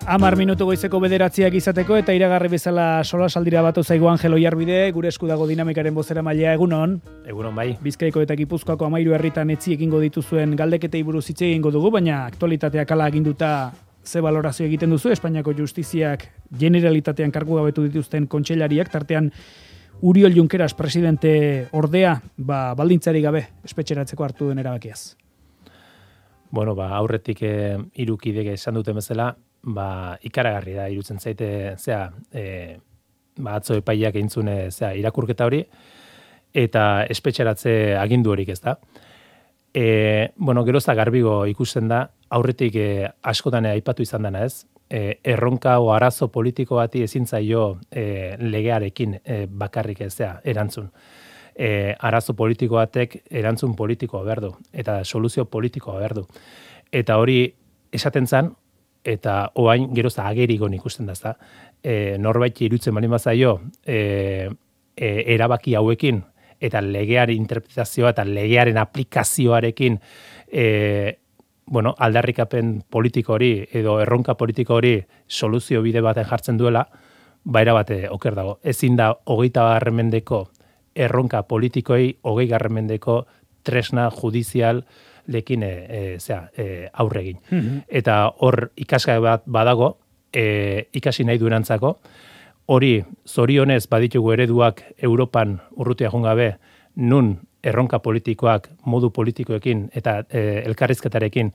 10 minutu goizeko 9 izateko eta iragarri bezala solasaldira batu zaigu Angel Oiarbide, gure esku dago dinamikaren bozeramailea. Egunon. Egunon bai. Bizkaiko eta Gipuzkoako 13 herritan etzi egingo dituzuen galdeketei buruz hitz egingo dugu, baina aktualitateak hala aginduta ze balorazio egiten duzu? Espainiako justiziak generalitatean kargu gabetu dituzten kontseilariak, tartean Uriol Junqueras presidente ordea, baldintzari gabe espetxeratzeko hartu den erabakiaz. Bueno, aurretik 3 kidek esan duten bezala, ikaragarri da irutzen zaite, atzo epaiak eintzun irakurketa hori eta espetxeratze agindu horik, ez da. Gerozta garbigo ikusten da, aurretik askotan aipatu izan dena, ez? Erronka o arazo politiko bati ezin zaio legearekin bakarrik erantzun. Arazo politiko batek erantzun politikoa behar du, eta soluzio politikoa behar du. Eta hori esaten zan, eta oain gerozta agerigon ikusten da, ezta. Norbait irutzen baldin bazaio erabaki hauekin, eta legearen interpretazioa eta legearen aplikazioarekin aldarrikapen politiko hori edo erronka politiko hori soluzio bide baten jartzen duela, era bate oker dago. Ezin da 20. mendeko erronka politikoi 20. mendeko tresna judizial lekin aurregin. Eta hor ikasgai bat badago, ikasi nahi durantzako, hori zorionez baditugu ereduak Europan urrutia jungabe, nun erronka politikoak modu politikoekin eta elkarrizketarekin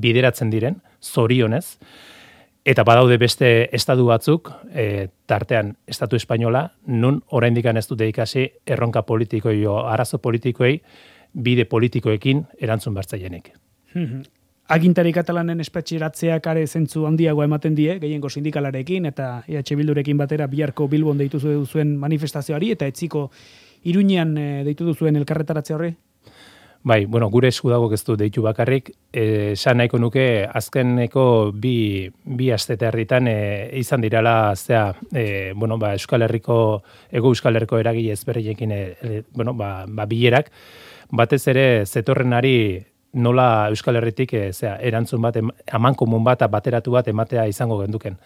bideratzen diren, zorionez, eta badaude beste estatu batzuk, tartean estatu espainola, nun oraindik ez dute ikasi erronka politikoi o arazo politikoi bide politikoekin erantzun bertzaienik. Agintari katalanen espetxeratzeak are zentzu handiagoa ematen die, gehiengo sindikalarekin eta EH Bildurekin batera biharko Bilbon deitu duzuen manifestazioari eta etziko Iruñean deitu duzuen elkarretaratze horri? Bai, gure esku dago ez du deitu bakarrik, esan nahiko nuke azkeneko bi astete herritan izan dirala Euskal Herriko, Ego Euskal Herriko eragile ezberdinekin bilerak, batez ere zetorrenari nola Euskal Herritik erantzun bat, amankomun bat, bateratu bat ematea izango genduken.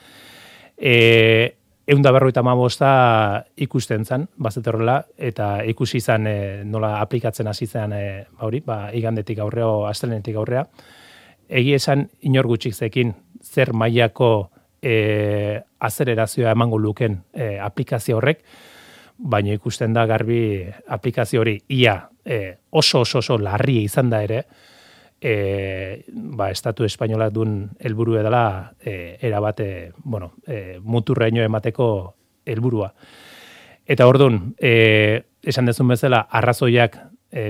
155 ikusten zan, bazetorrela, eta ikusi izan nola aplikatzen hasi zen igandetik aurreo, astelenetik aurrea. Egi esan inor gutxik zekin zer mailako azelerazioa emango luken aplikazio horrek, baina ikusten da garbi aplikazio hori ia oso larria izan da ere, estatu espainolak duen helburu edala erabate, muturreño emateko helburua. Eta orduan, esan dezun bezala, arrazoiak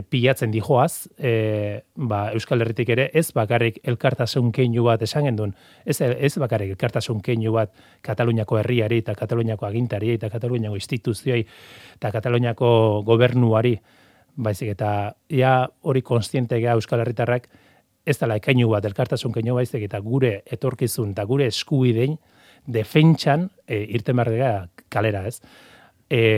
pilatzen dijoaz, Euskal Herritik ere, ez bakarrik elkartasun keinu bat esan gendun, ez bakarrik elkartasun keinu bat Kataluniako herriari eta Kataluniako agintari eta Kataluniako instituzioi eta Kataluniako gobernuari, baizik eta hori konstientegea Euskal Herritarrak ez dela keinu bat elkartasun keinu baizik eta gure etorkizun eta gure eskubidein defentsan irten behar kalera, ez?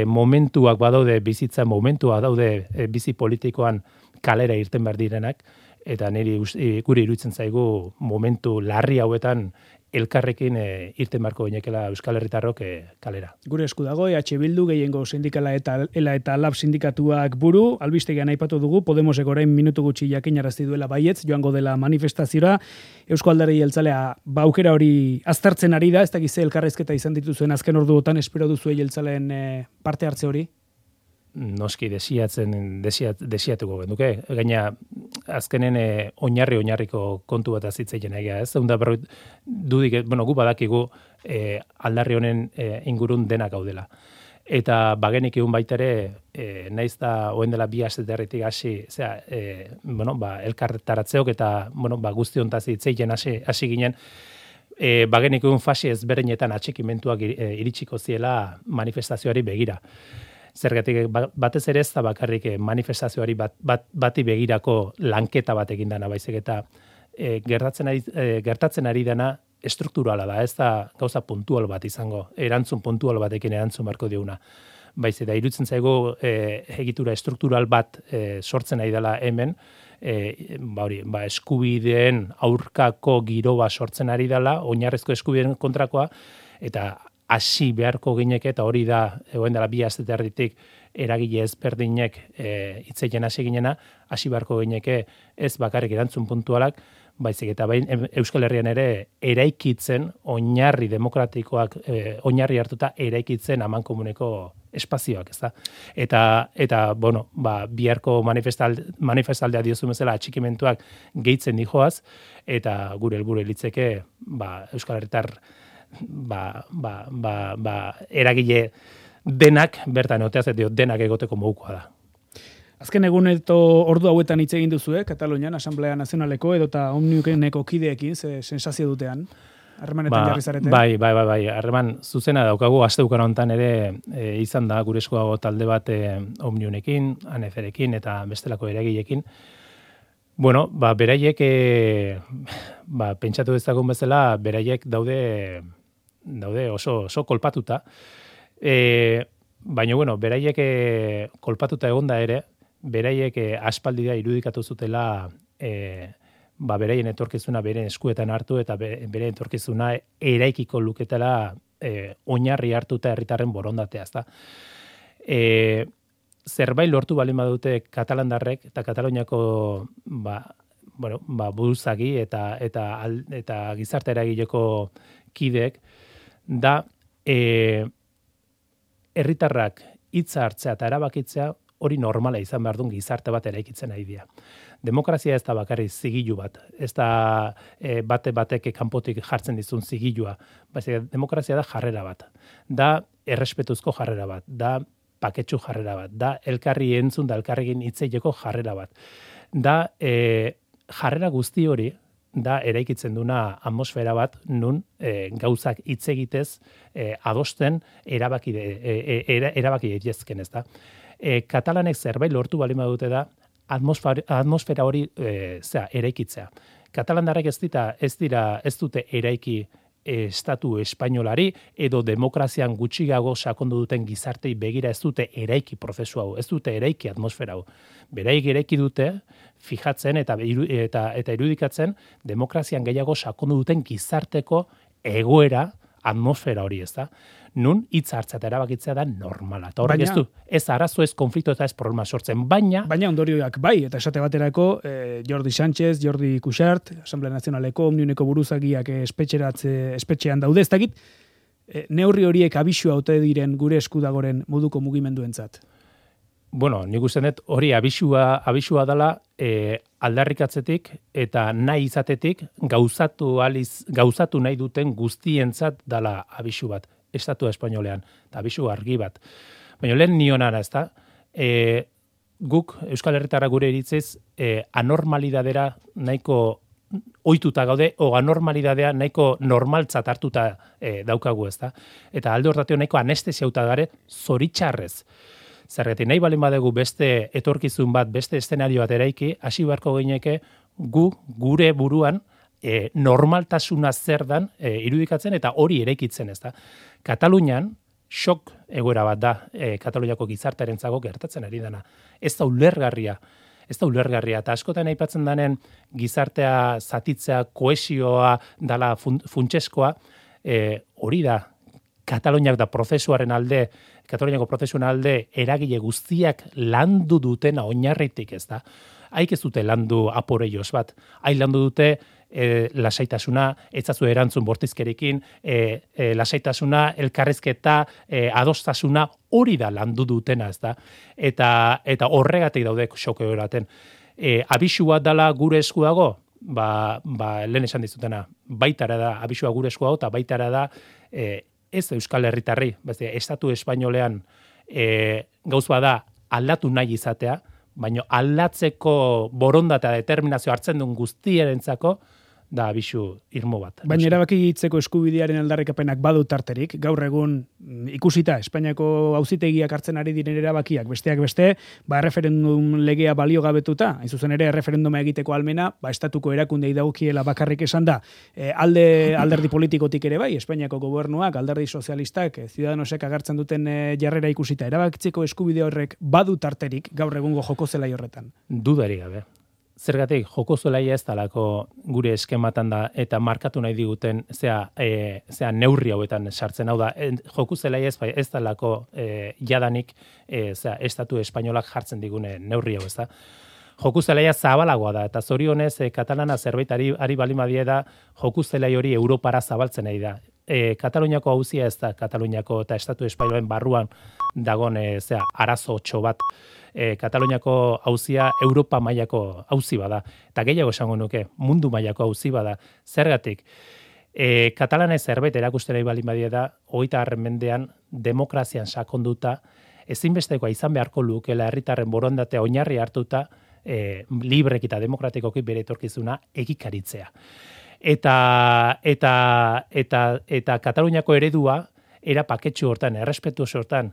Momentuak badaude bizitza, momentuak daude bizi politikoan kalera irten behar direnak, eta gure iruditzen zaigu momentu larri hauetan elkarrekin irten beharko bainekela Euskal Herritarrok kalera. Gure esku dago, EH Bildu, gehiengo sindikala eta ELA eta LAB sindikatuak buru, albistegian aipatu dugu, Podemosek orain minutu gutxi jakinarazti duela baietz, joango dela manifestaziora, Eusko Alderdi Jeltzalea aukera hori aztertzen ari da, ez dakiz elkarrizketa izan dituzuen azken orduotan, espero duzu jeltzaleen parte hartze hori? Noski desiatuko genduke. Gaina, azkenen oinarriko kontu bat azitzeien egia, ez? Gu badakigu aldarri honen ingurun denak gaudela. Eta bagenik egun baitere, naiz da oen dela 2 asteterritik hasi, elkartaratzeok eta guzti hontaz hitzeien hasi ginen, bagenik egun fasi ezberdinetan atxikimentuak iritsiko ziela manifestazioari begira. Zergatik batez ere ez da bakarrik manifestazioari bati begirako lanketa bat egin dana, baizik eta gertatzen ari dena estrukturala da, ez da gauza puntual bat izango, erantzun puntual batekin erantzun barko diuna. Baizik eta iruditzen zaigu egitura estruktural bat sortzen ari dela hemen, eskubideen aurkako giroa sortzen ari dela, oinarrizko eskubideen kontrakoa, eta hasi beharko gineke, eta hori da, egoen dela 2 aste erditik, eragile ezberdinek hitzeien hasi ginena, hasi beharko gineke ez bakarrik erantzun puntualak, baizik eta Euskal Herrian ere eraikitzen, oinarri demokratikoak, oinarri hartuta eraikitzen amankomuneko espazioak, ezta? Eta bueno, biharko manifestaldea diozu bezala atxikimentuak gehitzen dijoaz, eta gure helburu litzeke, Euskal Herritar eragile denak bertan egoteaz, eta denak egoteko modukoa da. Azken egun edo ordu hauetan hitz egin duzu, Katalunian, Asamblea Nazionaleko edota Omniukeneko kideekin, ze sensazio dutean, harremanetan jarri zarete? Bai, harreman zuzena daukagu, aste bukan honetan ere izan da gure eskuago talde bat Omniunekin, ANEFerekin eta bestelako eragilekin. Bueno, beraiek, pentsatu dezagun bezala, beraiek daude oso kolpatuta. Baina, bueno, beraiek kolpatuta egonda ere, beraiek aspaldi da irudikatu zutela beraien etorkizuna beren eskuetan hartu eta beren etorkizuna eraikiko luketela oinarri hartuta herritarren borondatea, ezta. Zerbait lortu balin badute katalandarrek eta Kataluniako buruzagi eta gizarte eragileko kideek da herritarrak hitza hartzea eta erabakitzea hori normala izan behar duen gizarte bat eraikitzen ari dira. Demokrazia ez da bakarrik zigilu bat, ez da batek kanpotik jartzen dizun zigilua, demokrazia da jarrera bat, da errespetuzko jarrera bat, da paketsu jarrera bat, da elkarri entzun da elkarrekin hitzeileko jarrera bat, da jarrera guzti hori da eraikitzen duna atmosfera bat nun gauzak hitz egitez adosten erabaki daitezken, ezta. Katalanek zerbait lortu balima dute da atmosfera hori eraikitzea. Katalandarrek ez dute eraiki estatu espainolari edo demokrazian gutxiago sakondu duten gizartei begira ez dute eraiki prozesu hau, ez dute eraiki atmosfera hau. Beraik eraiki dute fijatzen eta irudikatzen demokrazian gehiago sakondu duten gizarteko egoera atmosfera hori, ez da? Nun hitz hartzea eta erabakitzea da normala. Eta horrek ez arazo, ez konflikto eta ez problema sortzen, baina ondorioak bai, eta esate baterako Jordi Sánchez, Jordi Cuixart, Asamblea Nazionaleko, Omniuneko buruzagiak espetxean daude, ez dakit, neurri horiek abisua ote diren gure eskudagoren moduko mugimenduentzat. Bueno, nik uste dut hori abisua dela aldarrikatzetik eta nahi izatetik gauzatu nahi duten guztientzat dela abisu bat, estatu espainolean, eta abisu argi bat. Baina lehen nionara, ez da, guk Euskal Herritarra gure iritziz anormalidadera nahiko ohituta gaude, o anormalidadea nahiko normaltzat hartuta daukagu, ez da. Eta alde hortatio nahiko anestesiauta gare zoritxarrez. Zergatik nahi balin badegu beste etorkizun bat, beste eszenario bat eraiki, hasi beharko gineke gure buruan normaltasuna zer dan irudikatzen eta hori eraikitzen, ez da. Katalunian shock egoera bat da Kataluniako gizartearentzako gertatzen ari dena. Ez da ulergarria, eta askotan aipatzen denen gizartea zatitzea, kohesioa dala funtseskoa, hori da Kataluniak da Kataluniako prozesuaren alde eragile guztiak landu dutena oinarritik, ez da. Haik ez dute landu aporeios bat. Haik landu dute lasaitasuna, etzazu erantzun bortizkerekin, lasaitasuna, elkarrezketa, adostasuna, hori da landu dutena, ez da. Eta horregatik daude xoko eraten. Abisua dala gure esku dago? Lehen esan dizutena, baitara da, abisua gure esku dago, eta baitara da, ez Euskal Herritarri, estatu espainolean gauz bada aldatu nahi izatea, baina aldatzeko borondatea determinazio hartzen duen guztierentzako da abisu irmo bat. Baina erabakitzeko eskubidearen aldarrikapenak badu tarterik, gaur egun ikusita Espainiako auzitegiak hartzen ari diren erabakiak, besteak beste, erreferendum legea baliogabetuta, hain zuzen ere erreferenduma egiteko almena, estatuko erakundei dagokiela bakarrik esan da, alderdi politikotik ere bai, Espainiako gobernuak, alderdi sozialistak, Ciudadanosek agertzen duten jarrera ikusita, erabakitzeko eskubide horrek badu tarterik gaur egungo joko zelai horretan. Dudarik gabe. Zergatik, joko zelaia ez dalako gure eskematan da, eta markatu nahi diguten, zea neurri hauetan sartzen, hau da, joku zelaia ez dalako jadanik, estatu espainolak jartzen digune neurri hau, ez da. Joku zelaia zabalagoa da, eta zorionez, katalana zerbait ari balimadie da, joku zelai hori Europara zabaltzen nahi da. Kataluniako auzia ez da, Kataluniako eta estatu espainolen barruan dagon, arazo txo bat, Kataluniako auzia Europa mailako auzi bada. Eta gehiago esango nuke, mundu mailako auzi bada. Zergatik, katalana zerbait erakusten nahi baldin badie da, 20. mendean demokrazian sakonduta, ezinbestekoa izan beharko lukela herritarren borondatea oinarri hartuta, librek eta demokratikoki bere etorkizuna egikaritzea. Eta Kataluniako eredua, era paketxu hortan, errespetuoso hortan,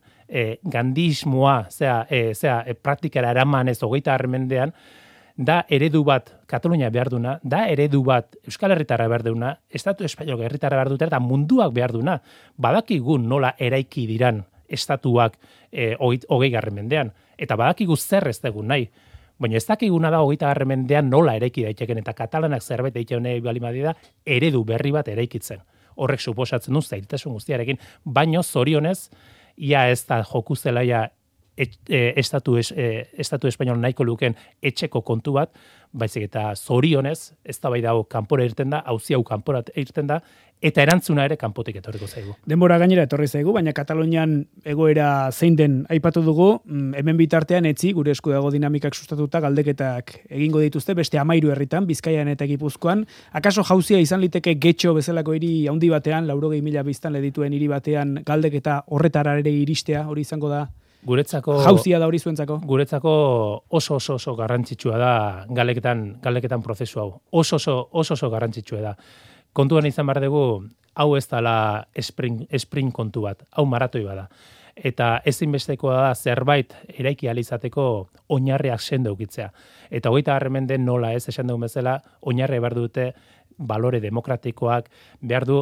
gandismoa, praktikara eraman ez 20. mendean, da eredu bat Katalunia behar duna, da eredu bat Euskal Herritarra behar duna, Estatu Espainolak herritarra behar dutera, eta munduak behar duna. Badakigun nola eraiki diran estatuak 20. mendean, eta badakigu zer ez dugun nahi. Baina ez dakiguna da 20. mendean nola eraiki daiteken, eta katalanak zerbait egiten nahi da eredu berri bat eraikitzen. Horrek suposatzen du zailtasun guztiarekin, baino zorionez, ia ez da joku zelaia estatu espainol nahiko luken etxeko kontu bat, baizik eta zorionez, ez da bai dago kanpora irten da, auzi hau kanpora irten da, eta erantzuna ere kanpotik etorriko zaigu. Denbora gainera etorri zaigu, baina Katalunian egoera zein den aipatu dugu, hemen bitartean etzi, gure esku dago dinamikak sustatuta, galdeketak egingo dituzte, beste 13 herritan, Bizkaian eta Gipuzkoan. Akaso jauzia izan liteke Getxo bezalako hiri handi batean, 80.000 biztanle dituen hiri batean, galdeketa horretara ere iristea, hori izango da? Guretzako jauzia da hori zuentzako? Guretzako oso garrantzitsua da galeketan prozesu hau. Oso garrantzitsua da. Kontuan izan behar dugu, hau ez dela sprint kontu bat, hau maratoi bada. Eta ezinbestekoa da zerbait eraiki alizateko oinarriak sendo ukitzea. Eta 20. menden nola ez esan dugun bezala, oinarri behar dute balore demokratikoak, behar du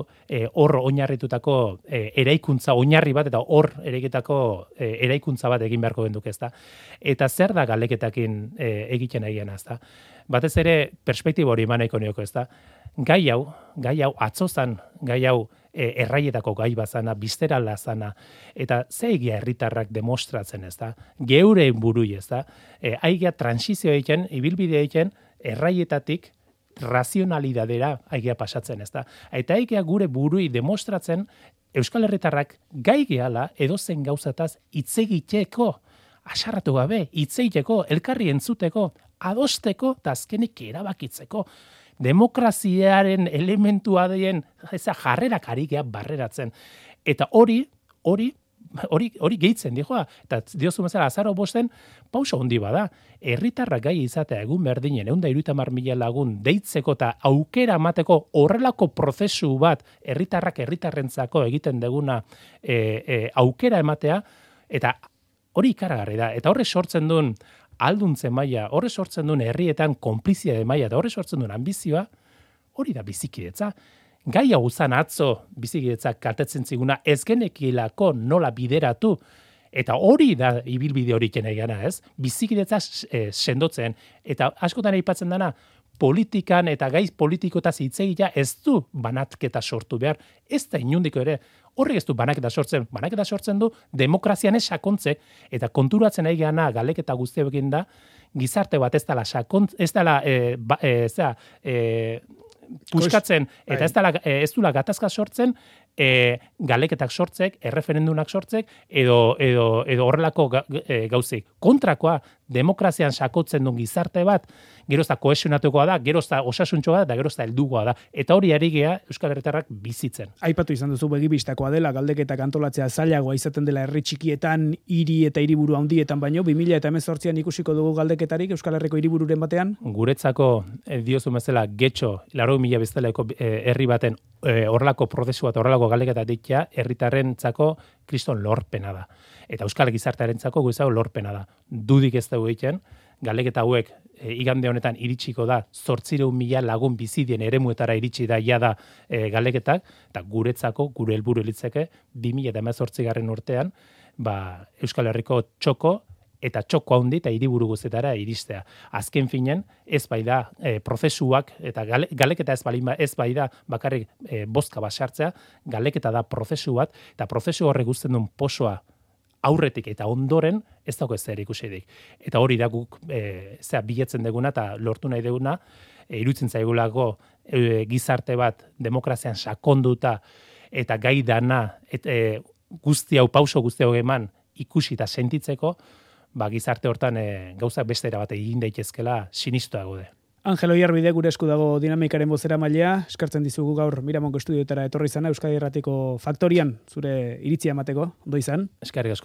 hor oinarritutako eraikuntza oinarri bat, eta hor eraikuntza bat egin beharko genduke, ezta. Eta zer da galeketakin egiten egin, ezta. Batez ere, perspektibo hori eman nahiko nioko, ezta. Gai hau atzozan, gai hau erraietako gai bazana, bizterala zana, eta ze egia herritarrak demostratzen, ezta. Geure burui, ezta. Aigia transizio egiten, ibilbide egiten, erraietatik razionalidadera aigia pasatzen, ezta. Eta aigia gure burui demostratzen Euskal Herritarrak gai gehala edozen gauzataz hitz egiteko, asarratu gabe, hitz egiteko, elkarri entzuteko, adosteko eta azkenik erabakitzeko. Demokraziaren elementua den jarrerak ari gea barreratzen. Eta hori gehitzen dijoa. Eta diozu bezala azaro bosten, pausa handi bada. Herritarrak gai izatea egun berdinen, 130.000 lagun deitzeko eta aukera emateko horrelako prozesu bat herritarrentzako egiten deguna aukera ematea, eta hori ikaragarri da. Eta horre sortzen duen alduntze maila, horre sortzen duen herrietan konplizia de maila, eta horre sortzen duen ambizioa, hori da bizikidetza. Gai hau zan atzo bizikidetzak kaltetzen ziguna ez genekilako nola bideratu, eta hori da ibilbide hori egana, ez? Bizikidetza sendotzen, eta askotan aipatzen dana, politikan eta gaiz politikotaz hitz egitea ez du banatketa sortu behar, ez da inundiko ere, horrek ez du banaketa sortzen du demokrazian ez sakontze, eta konturatzen nahi gana galeketa guztiekin da, gizarte bat ez dela puskatzen, eta ez dula gatazka sortzen, galeketak sortzek, erreferendunak sortzek, edo horrelako gauzik. Kontrakoa, demokrazian sakotzen duen gizarte bat, gerozta kohesionatukoa da, gerozta osasuntxoa da, eta gerozta heldugoa da. Eta hori ari gea Euskal Herritarrak bizitzen. Aipatu izan duzu begibistakoa dela, galdeketak antolatzea zailagoa izaten dela herri txikietan, hiri eta hiriburu handietan baino, 2018an ikusiko dugu galdeketarik Euskal Herriko hiribururen batean? Guretzako, diozu bezala, Getxo, 80.000 bezaleko herri baten horrelako prozesua eta horrelako galdeketa ditia, herritarrentzako kriston lorpena da. Eta Euskal Gizartearentzako guretzako lorpena da. Dudik ez dugu egiten, galdeketa hauek igande honetan iritsiko da 800.000 lagun bizidien eremuetara iritsi da jada galdeketak, eta guretzako, gure helburu litzeke 2018 urtean, Euskal Herriko txoko eta txoko handi eta hiriburu guztietara iristea. Azken finen, ez bai da prozesuak, eta galeketa ez bai da bakarrik bozka bat sartzea, galeketa da prozesu bat, eta prozesu horrek guztien duen posoa aurretik eta ondoren ez dago ez ikusirik. Eta hori da guk biletzen deguna eta lortu nahi deguna, iruditzen zaigulako gizarte bat demokrazian sakonduta eta gai dana pauso guzti hau eman ikusi eta sentitzeko, gizarte hortan gauzak beste era bat egin daitezkela sinistua gaude. Angelo Iarbide gure esku dago dinamikaren bozeramailea, eskartzen dizugu gaur Miramongo estudioetara etorri izana Euskadi Irratiko Faktorian zure iritzia emateko, ondo izan. Eskerrik asko.